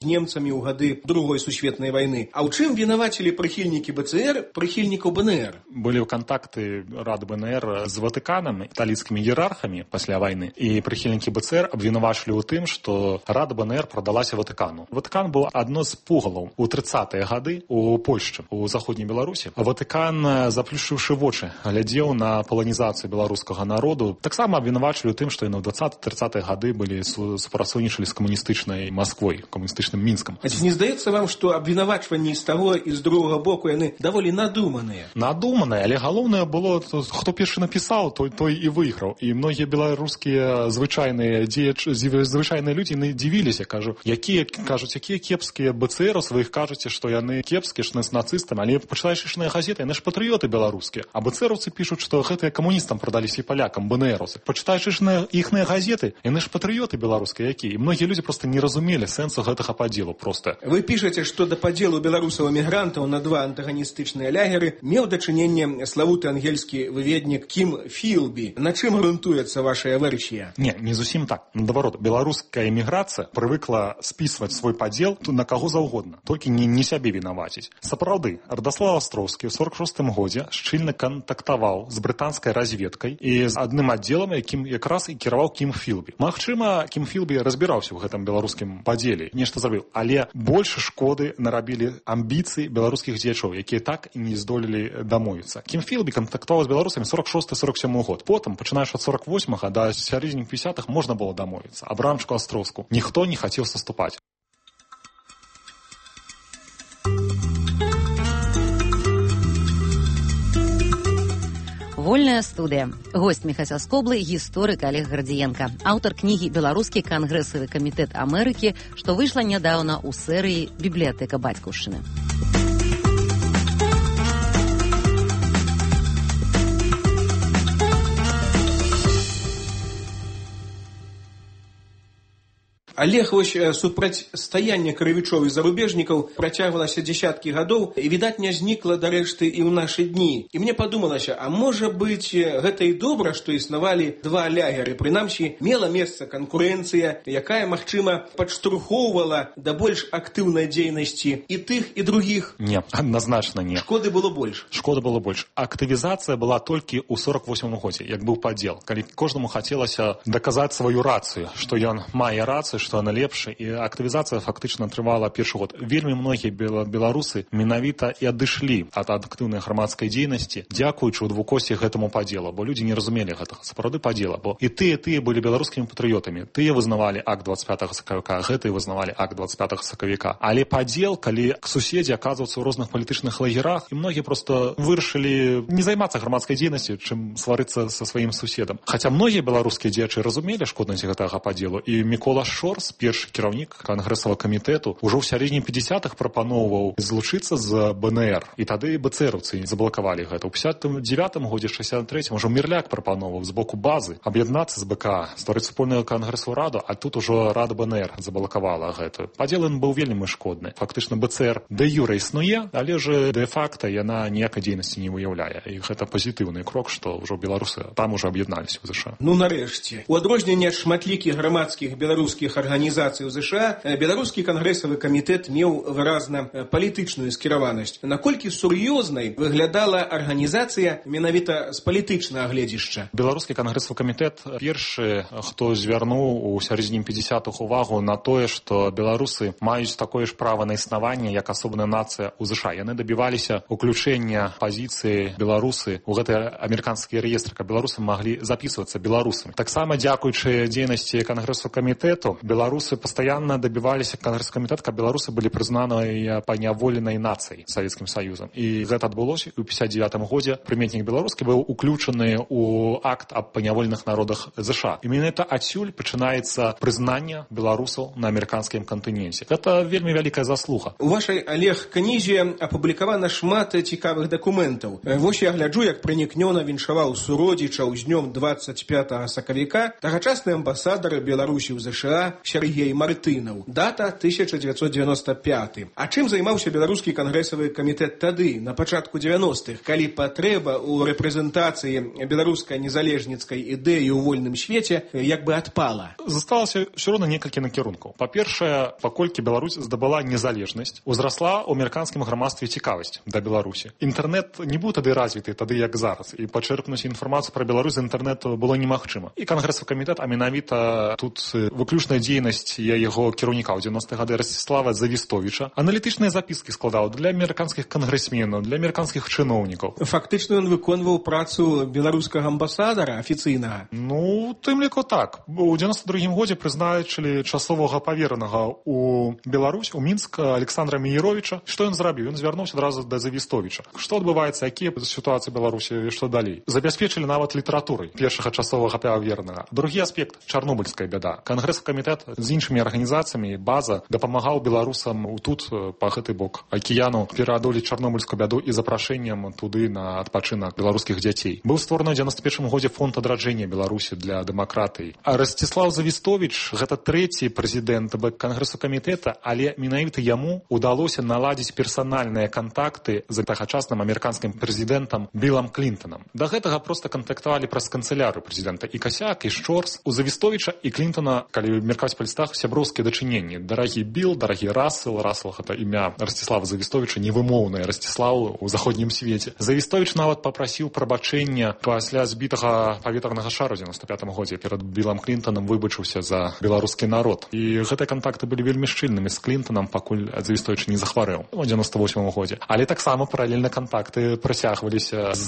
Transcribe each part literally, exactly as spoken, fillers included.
з немцамі ў гады другой сусветнай вайны. А ў чым вінавацілі прыхільнікі БЦР прыхільнікаў БНР? Былі кантакты Рады БНР з Ватыканам, італійскімі іерархамі пасля вайны, і прыхільнікі БЦР абвінавачылі ў тым, што Рада БНР прадалася Ватыкану. Ватыкан быў адно з пугалаў у трыццатыя гады у Польшчы, у заходняй Беларусі. Ватыкан, заплюшчыўшы вочы, глядзеў на паланізацыю беларускага народу. Таксама абвінавачылі ў тым, што яны ў дваццатыя-трыццатыя гады былі супрацоўнічалі з камуністычнай Масквой, камуністычным Мінскам. А ці не здаецца вам, што абвінавачванні з таго і з другога боку яны даволі надуманыя? Надуманыя, але галоўнае было, хто першы напісаў, той той і выйграў. І многія беларускія звычайныя дзеячы, звычайныя людзі не дзівіліся, кажу, якія кажуць, якія кепскія БЦРаўцы, вы іх кажуце, што яны кепскія, што з нацыстамі, але пачытаеш ішныя газеты, яны ж патрыёты беларускія. А БЦРаўцы пішуць, што гэтыя камуністам прадаліся і палякам, БНРаўцы. Пачытаеш ішныя іхныя газеты, яны ж патрыёты беларускія якія. І многія людзі проста не разумелі сэнсу гэтага падзелу проста. Вы пішаце, што да падзелу беларусаў-эмігрантаў на два антаганістычныя лягеры меў дачыненне славуты ангельскі выведнік Кім Філбі. На чым грунтуецца вашая версія? Не, не зусім так. Наадварот, беларуская эміграцыя прывыкла спісваць свой падзел на каго заўгодна, толькі не, не сябе вінаваціць. Сапраўды, Радаслаў Астроўскі ў сорак шостым годзе шчыльна кантактаваў з брытанскай разведкай і з адным аддзелам, якім якраз і кіраваў Кім Філбі. Магчыма, Кім Філбі разбіраўся ў гэтым беларускім падзеле, нешта зрабіў, але больш шкоды нарабілі амбіцыі беларускіх дзеячоў, якія так і не здолелі дамовіцца. Кім Філбі кантактаваў з беларусамі сорак шосты сорак сёмы год. Потым, пачынаеш ад сорак восьмага да сярэдзіны пятидесятых, можна было дамовіцца. Абрамчыку Астроўску ніхто не хацеў саступаць. Вольная студыя. Госць Міхася Скоблы, гісторык Олег Гардзіенка, аўтар кнігі «Беларускі кангрэсавы камітэт Амерыкі», што выйшла нядаўна ў серыі «Бібліятэка бацькаўшчыны». Олег, вось супрацьстаянне крывічоў і зарубежнікаў працягвалася дзесяткі гадоў і, відаць, не знікла дарэшты і ў нашы дні. І мне падумалася, а можа быць, гэта і добра, што існавалі два лягеры. Прынамсі, мела месца канкурэнцыя, якая, магчыма, падштурхоўвала да больш актыўнай дзейнасці і тых, і другіх. Не, адназначна не. Шкоды было больш. Шкоды было больш. Актывізацыя была толькі ў сорак восьмым годзе, як быў падзел, калі кожнаму хацелася даказаць сваю рацыю, што ён мае рацыю, што она лепшая, і актывізацыя фактычна трывала першы год. Вельмі многія беларусы менавіта і адышлі ад актыўнай грамадскай дзейнасці, дзякуючы ў двукосці гэтаму падзелу, бо людзі не разумелі гэтага сапраўды падзела, бо і тыя, тыя былі беларускімі патрыётамі, тыя вызнавалі акт двадцать пятага сакавіка, гэтыя вызнавалі акт двадцать пятага сакавіка. Але падзел, калі суседзі аказваюцца ў розных палітычных лагерах, і многія проста вырашылі не займацца грамадскай дзейнасцю, чым сварыцца са сваім суседам. Хаця многія беларускія дзеячы разумелі шкоднасць гэтага падзелу, і Мікола Шорс, першы кіраўнік кангрэсавага камітэту, ужо ў сярэдзіне пятидесятых прапаноўваў злучыцца з БНР. І тады бцэраўцы заблакавалі гэта. У пятьдесят девятым годзе, шестьдесят третьем ужо Мірляк прапаноўваў з боку базы аб'яднацца з БК, стварыць супольную кангрэсавую раду, а тут ужо Рада БНР заблакавала гэта. Падзел ён быў вельмі шкодны. Фактычна БЦР дэ юрэ існуе, але ж дэ-факта яна ніякай дзейнасці не выяўляе. І гэта пазітыўны крок, што ўжо беларусы там ужо аб'ядналіся ў ЗША. Ну, нарэшце. У адрозненне ад шматлікіх грамадскіх беларускіх арганізацый у ЗША, беларускі кангрэсавы камітэт меў выразна палітычную скіраванасць. Наколькі сур'ёзнай выглядала арганізацыя менавіта з палітычнага гледзішча? Беларускі кангрэсавы камітэт першы, хто звярнуў у сярэдзіне пятидесятых увагу на тое, што беларусы маюць такое ж права на існаванне, як асобная нацыя ў ЗША. Яны дабіваліся уключэння пазіцыі беларусы ў гэты амерыканскі рэестр, каб беларусы маглі запісвацца беларусамі. Таксама дзякуючы дзейнасці кангрэсавага камітэту беларусы пастаянна дабіваліся кангрэсавы камітэт, каб беларусы былі прызнаныя паняволенай нацыяй Савецкім Саюзам. І гэта адбылося ў пятьдесят девятым годзе. Прыметнік беларускі быў уключаны ў акт аб паняволеных народах ЗША. І менавіта адсюль пачынаецца прызнанне беларусаў на амерыканскім кантыненце. Гэта вельмі вялікая заслуга. У вашай, Олег, кнізе апублікавана шмат цікавых дакументаў. Вось я гляджу, як пранікнёна віншаваў суродзічаў з днём двадцать пятага сакавіка тагачасны амбасадар Беларусі ў ЗША Сергей Мартынаў. Дата тысяча девятьсот девяносто пятый. А чым займаўся беларускі кангрэсавы камітэт тады, на пачатку девяностых, калі патрэба ў рэпрэзентацыі беларускай незалежніцкай ідэі ў вольным свеце як бы адпала? Засталася ўсё роўна некалькі накірункаў. Па-першае, паколькі Беларусь здабыла незалежнасць, узрасла ў амерыканскім грамадстве цікавасць да Беларусі. Інтэрнэт не быў тады развіты, тады як зараз, і пачэрпнуць інфармацыю пра Беларусь з інтэрнэту было немагчыма. І кангрэсавы камітэт, а менавіта тут выключная дзейнасць яго кіраўніка ў девяностыя гады Ростислава Завістовіча, аналітычныя запіскі складаў для амерыканскіх кангрэсменаў, для амерыканскіх чыноўнікаў. Фактычна ён выконваў працу беларускага амбасадара афіцыйнага. Ну, тым ліку так. У девяносто другім годзе прызначылі часовага паверанага у Беларусь, у Мінск Александра Мееровича. Што ён зрабіў? Ён звярнуўся адразу да Завістовіча. Што адбываецца, якія сітуацыі Беларусі і што далей? Забяспечылі нават літаратурай першага часовага паверанага. Другі аспект — чарнобыльская бяда. Кангрэсавы камітэт з іншымі арганізацыямі, база дапамагаў беларусам тут, па гэты бок акіяну, пераадолець чарнобыльскую бяду і запрашэннем туды на адпачынак беларускіх дзяцей. Быў створаны ў девяносто першым годзе фонд адраджэння Беларусі для дэмакратыі. А Ростислав Завістовіч — гэта трэці прэзідэнт кангрэсу камітэта, але менавіта яму удалося наладзіць персанальныя кантакты з тагачасным амерыканскім прэзідэнтам Білам Клінтонам. Да гэтага проста кантактавалі праз канцылярыю прэзідэнта і Касяк, і Шчорс. У Завістовіча і Клінтона, калі меркаваць па лістах, сяброўскія дачыненні. Дарагі Біл, дарагі Рассел. Рассел — гэта імя Ростислава Завістовіча, невымоўнае Ростиславу ў заходнім свеце. Завістовіч нават папрасіў прабачэння пасля збітага паветранага шару ў девяносто пятым годзе. Перад Білам Клінтонам выбачыўся за беларускі народ. І гэтыя кантакты былі вельмі шчыльнымі з Клінтонам, пакуль Завістовіч не захварэў у девяносто восьмым годзе. Але таксама паралельна кантакты працягваліся з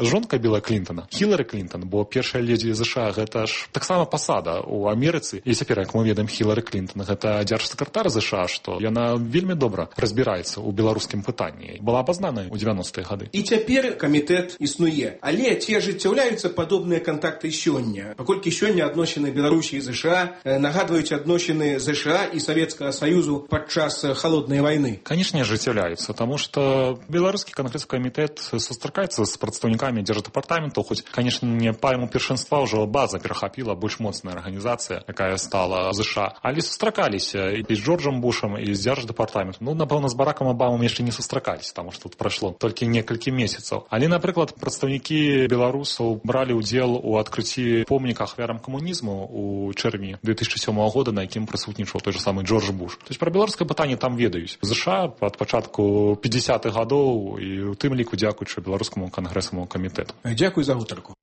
жонкай Біла Клінтона, Хілары Клінтон, бо першая ледзі ЗША — гэта ж таксама пасада ў Амерыцы. І цяпер, як мы ведаем, Хілары Клінтон — гэта дзяржсакратар ЗША, што яна вельмі добра разбіраецца ў беларускім пытанні. Была абазнаная ў девяностыя гады. І цяпер камітэт існуе. Але ці ажыццяўляюцца падобныя кантакты сёння? Паколькі сёння адносіны Беларусі і ЗША нагадваюць адносіны ЗША і Савецкага Саюзу падчас халоднай вайны. Канешне, ажыццяўляюцца, таму што беларускі кангрэсавы камітэт сустракаецца з прадстаўнікамі дзярждэпартаментаў, хоць, канешне, не па яму першынства ўжо база перахапіла, больш моцная арганізацыя, якая стала ЗША. Але сустракаліся і з Джорджам Бушам, і з дзярждэпартаментам. Ну, напэўна, з Баракам Абамам яшчэ не сустракаліся, таму што тут прайшло толькі некалькі месяцаў. Але, напрыклад, прадстаўнікі беларусаў бралі ўдзел у адкрыцці помніка ахвярам камунізму у чэрвені две тысячи сёмага года, на якім прысутнічаў той же самы Джордж Буш. То есть пра беларускае пытанне там ведаюць. ЗША ад пачатку пятидесятых гадоў, і ў тым ліку дзякуючы беларускаму кангрэсаваму камітэту. Дзякуй за гутарку.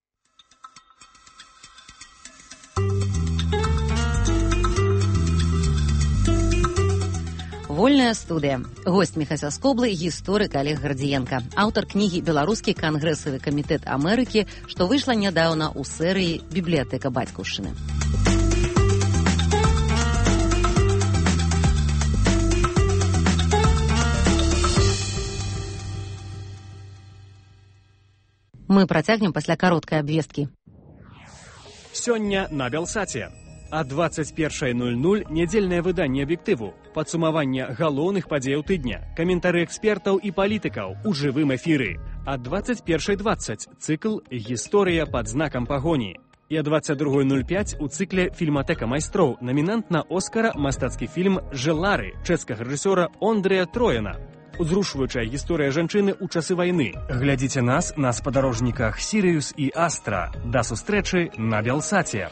Вольная студыя. Госць Міхася Скоблы — гісторык Олег Гардзіенка, аўтар кнігі «Беларускі кангрэсавы камітэт Амерыкі», што выйшла нядаўна ў серыі «Бібліятэка бацькаўшчыны». Мы працягнем пасля кароткай абвесткі. Сёння на Белсаце. А двадцать першая ноль ноль нядзельнае выданне аб'ектыву, падсумаванне галоўных падзеяў тыдня, каментары экспертаў і палітыкаў у жывым эфіры. А двадцать першая двадцать цыкл «Гісторыя пад знакам пагоні». І а двадцать другая ноль пять у цыкле «Фільматэка майстроў» намінант на Оскара мастацкі фільм «Желары» чэшскага рэжысёра Ондрыя Трояна. Узрушваючая гісторыя жанчыны ў часы вайны. Глядзіце нас на спадарожніках «Сірыюс» і «Астра». Да сустрэчы на Белсаце.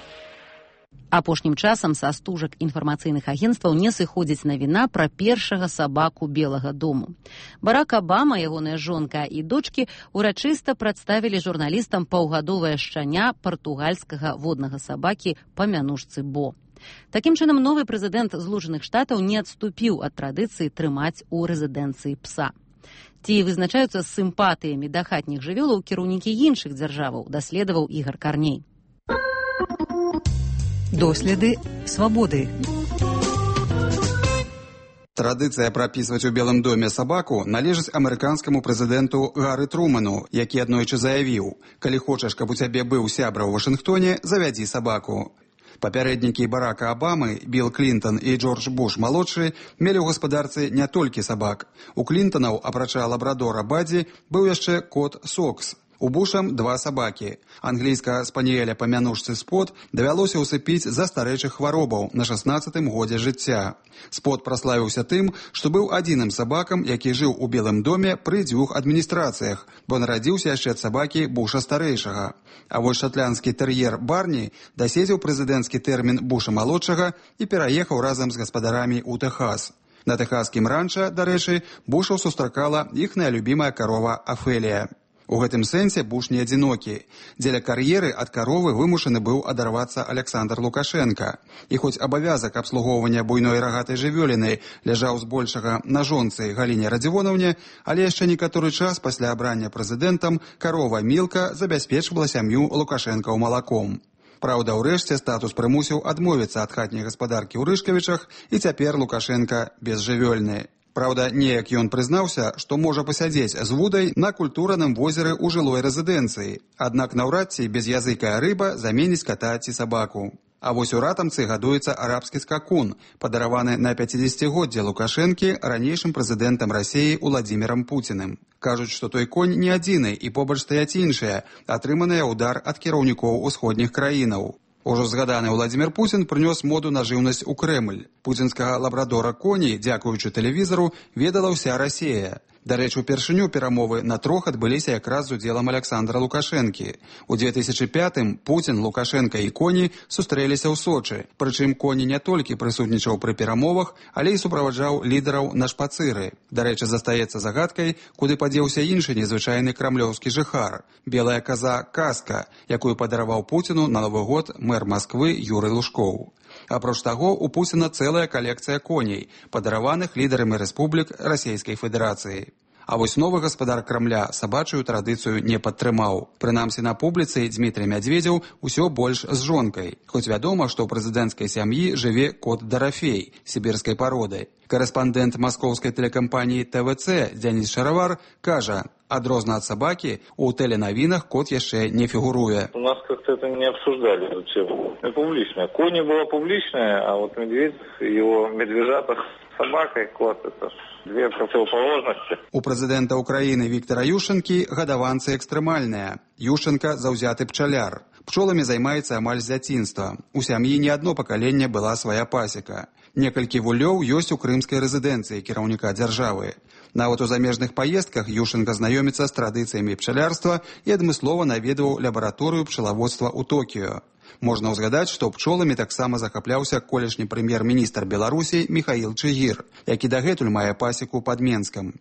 Апошнім часам са стужак інфармацыйных агенцтваў не сыходзіць навіна пра першага сабаку Белага дому. Барак Абама, ягоная жонка і дочкі урачыста прадставілі журналістам паўгадовае шчаня партугальскага воднага сабакі па мянушцы Бо. Такім чынам, новы прэзідэнт Злучаных Штатаў не адступіў ад традыцыі трымаць у рэзідэнцыі пса. Ці вызначаюцца сімпатыямі да хатніх жывёлаў кіраўнікі іншых дзяржаваў, даследаваў Ігар Карней. Доследы свабоды. Традыцыя прапісваць у Белым доме сабаку належыць амерыканскаму прэзідэнту Гары Труману, які аднойчы заявіў: «Калі хочаш, каб у цябе быў сябра ў Вашынгтоне, завядзі сабаку». Папярэднікі Барака Абамы, Білл Клінтон і Джордж Буш малодшы мелі ў гаспадарцы не толькі сабак. У Клінтонаў, апрача лабрадора Бадзі, быў яшчэ кот Сокс. У Бушам два сабакі. Англійскага спаніэля па мянушцы Спот давялося ўсыпіць за старэйшых хваробаў на шаснаццатым годзе жыцця. Спот праславіўся тым, што быў адзіным сабакам, які жыў у Белым доме пры дзвюх адміністрацыях, бо нарадзіўся яшчэ ад сабакі Буша старэйшага. А вось шатландскі тэр'ер Барні даседзеў прэзідэнцкі тэрмін Буша малодшага і пераехаў разам з гаспадарамі ў Тэхас. На тэхаскім ранча, дарэчы, Бушаў сустракала іхная любімая карова Афелія. У гэтым сэнсе Буш не адзінокі. Дзеля кар'еры ад каровы вымушаны быў адарвацца Аляксандр Лукашенка. І хоць абавязак абслугоўвання буйной рагатай жывёліны ляжаў збольшага на жонцы Галіне Радзівонаўне, але яшчэ некаторы час пасля абрання прэзідэнтам карова Мілка забяспечвала сям'ю Лукашэнкаў малаком. Праўда, урэшце статус прымусіў адмовіцца ад хатняй гаспадаркі ў Рышкавічах, і цяпер Лукашенка безжывёльны. Праўда, неяк ён прызнаўся, што можа пасядзець з вудай на культураным возеры ў жылой рэзідэнцыі, аднак наўрад ці безязыкая рыба заменіць ката ці сабаку. А вось у ратамцы гадуецца арабскі скакун, падараваны на пяцідзесяцігоддзе Лукашэнкі ранейшым прэзідэнтам Расіі Уладзімірам Пуціным. Кажуць, што той конь не адзіны і побач стаяць іншыя, атрыманыя ўдар ад кіраўнікоў усходніх краінаў. Ужо згаданы Уладзімір Пуцін прынёс моду на жыўнасць у Крэмль. Пуцінскага лабрадора коні, дзякуючы тэлевізару, ведала ўся Расія. Дарэчы, упершыню перамовы на трох адбыліся якраз з удзелам Аляксандра Лукашэнкі. У две тысячы пятым Пуцін, Лукашенка і коні сустрэліся ў Сочы. Прычым коні не толькі прысутнічаў пры перамовах, але і суправаджаў лідараў на шпацыры. Дарэчы, застаецца загадкай, куды падзеўся іншы незвычайны крамлёўскі жыхар – белая каза Каска, якую падараваў Пуціну на Новы год мэр Масквы Юрый Лужкоў. Апроч таго, у Пуціна цэлая калекцыя коней, падараваных лідарамі рэспублік Расійскай Федэрацыі. А вось новы гаспадар Крамля сабачую традыцыю не падтрымаў. Прынамсі на публіцы Дзмітрый Мядзведзеў усё больш з жонкай. Хоць вядома, што ў прэзідэнцкай сям'і жыве кот Дарафей, сібірскай пароды. Карэспандэнт маскоўскай тэлекампаніі тэ вэ цэ Дзяніс Шаравар кажа, адрозна ад сабакі, у тэленавінах кот яшчэ не фігуруе. У нас как-то это не обсуждали, эту тему. Публично. Кони была публичная, а вот медведь, его медвежатах с собакой, кот, это две противоположности. У прэзідэнта Украіны Віктара Ющэнкі гадаванцы экстрэмальныя. Ющэнка заўзяты пчаляр. Пчоламі займаецца амаль з дзяцінства. У сям'і не адно пакаленне была свая пасека. Некалькі вулёў ёсць у крымскай рэзідэнцыі кіраўніка дзяржавы. Нават у замежных паездках Ющэнка знаёміцца з традыцыямі пчалярства і адмыслова наведваў лабараторыю пчалаводства ў Токіё. Можна ўзгадаць, што пчоламі таксама захапляўся колішні прэм'ер-міністр Беларусі Міхаіл Чыгір, які дагэтуль мае пасеку пад Менскам.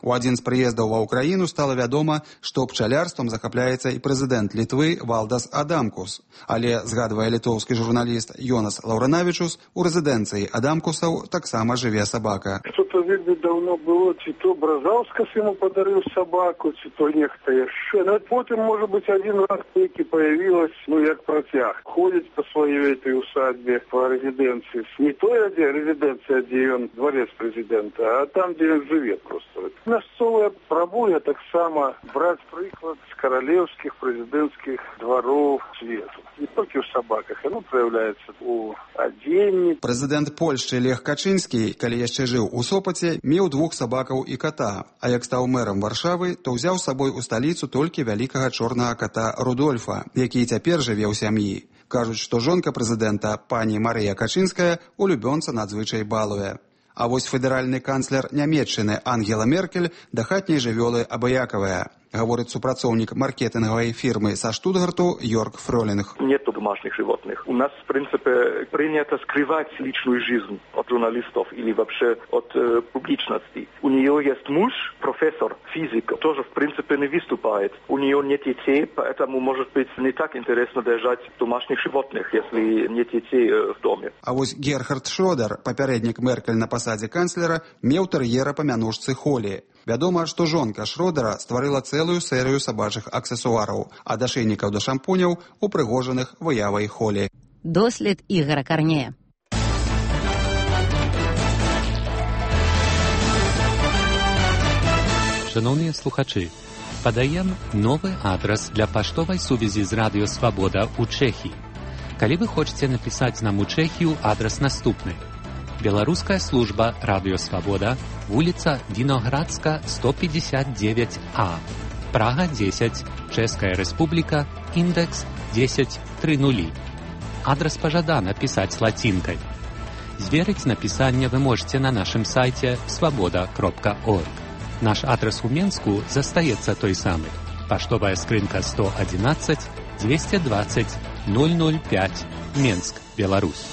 У адзін з прыездаў ва ўкраіну стала вядома, што пчалярствам захапляецца і прэзідэнт Літвы Валдас Адамкус. Але, згадвае літоўскі журналіст Йонас Лаўранавічус, у рэзідэнцыі Адамкусаў таксама жыве сабака. Что-то, видно, давно было, ці то Бразаўскас ему подарил собаку, ці то нехто яшчэ. Но потом, может быть, один раз таки появилась, ну, як протяг. Ходит по своей этой усадьбе, по резиденции. Не той резиденция, где он дворец президента, а там, где он живет просто. Мясцовая прабуля таксама браць прыклад з каралеўскіх прэзідэнцкіх двароў свету. Не толькі ў сабаках, яно праяўляецца ў адзенні. Прэзідэнт Польшчы Лех Качынскі, калі яшчэ жыў у Сопаце, меў двух сабакаў і ката, а як стаў мэрам Варшавы, то ўзяў з сабой у сталіцу толькі вялікага чорнага ката Рудольфа, які цяпер жыве ў сям'і. Кажуць, што жонка прэзідэнта, пані Марыя Качынская, улюбёнца надзвычай балуе. А вось федэральны канцлер Нямецчыны Ангела Меркель да хатняй жывёлы абыякавая. Говорит супрацоўнік маркетинговой фирмы со Штутгарту Йорк Фролинг. Нету домашних животных. У нас, в принципе, принято скрывать личную жизнь от журналистов или вообще от э, публичности. У нее есть муж, профессор, физик, тоже, в принципе, не выступает. У нее нет детей, поэтому, может быть, не так интересно держать домашних животных, если нет детей э, в доме. А вот Герхард Шрёдер, папярэднік Меркель на пасадзе канцлера, меў тэр'ера па мянушцы Холі. Вядома, што жонка Шрёдера стварыла цэлую серыю сабачых аксесуараў, ад ашэйнікаў да шампуняў, упрыгожаных выявай Холі. Дослід Ігора Карнея. Шановні слухачі, падаем новы адрас для паштовай сувязі з Радыё Свабода ў Чэхіі. Калі вы хочаце напісаць нам у Чэхію, адрас наступны. Беларуская служба Радыё Свабода, вуліца Віноградска, сто пятьдесят девять А, Прага десять, Чэшская Рэспубліка, індекс дзесяць тры нулі. Адрас пажадана пісаць лацінкай. Зверыць напісанне вы можете на нашым сайце свабода кропка орг. Наш адрас у Менску застаецца той самы. Паштовая скрынка сто адзінаццаць дзвесце дваццаць ноль ноль пяць, Менск, Беларусь.